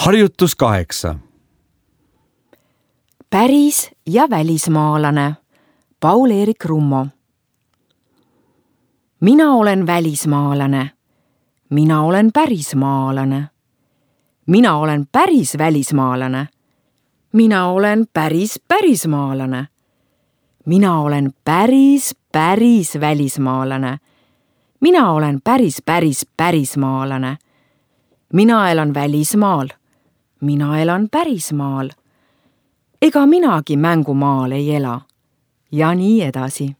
Harjutus 8. Päris ja välismaalane. Paul-Eerik Rummo. Mina olen välismaalane. Mina olen pärismaalane. Mina olen päris välismaalane. Mina olen päris pärismaalane. Mina olen päris välismaalane. Mina olen päris pärismaalane. Mina elan välismaal. Mina elan pärismaal. Ega minagi mängumaal ei ela. Ja nii edasi.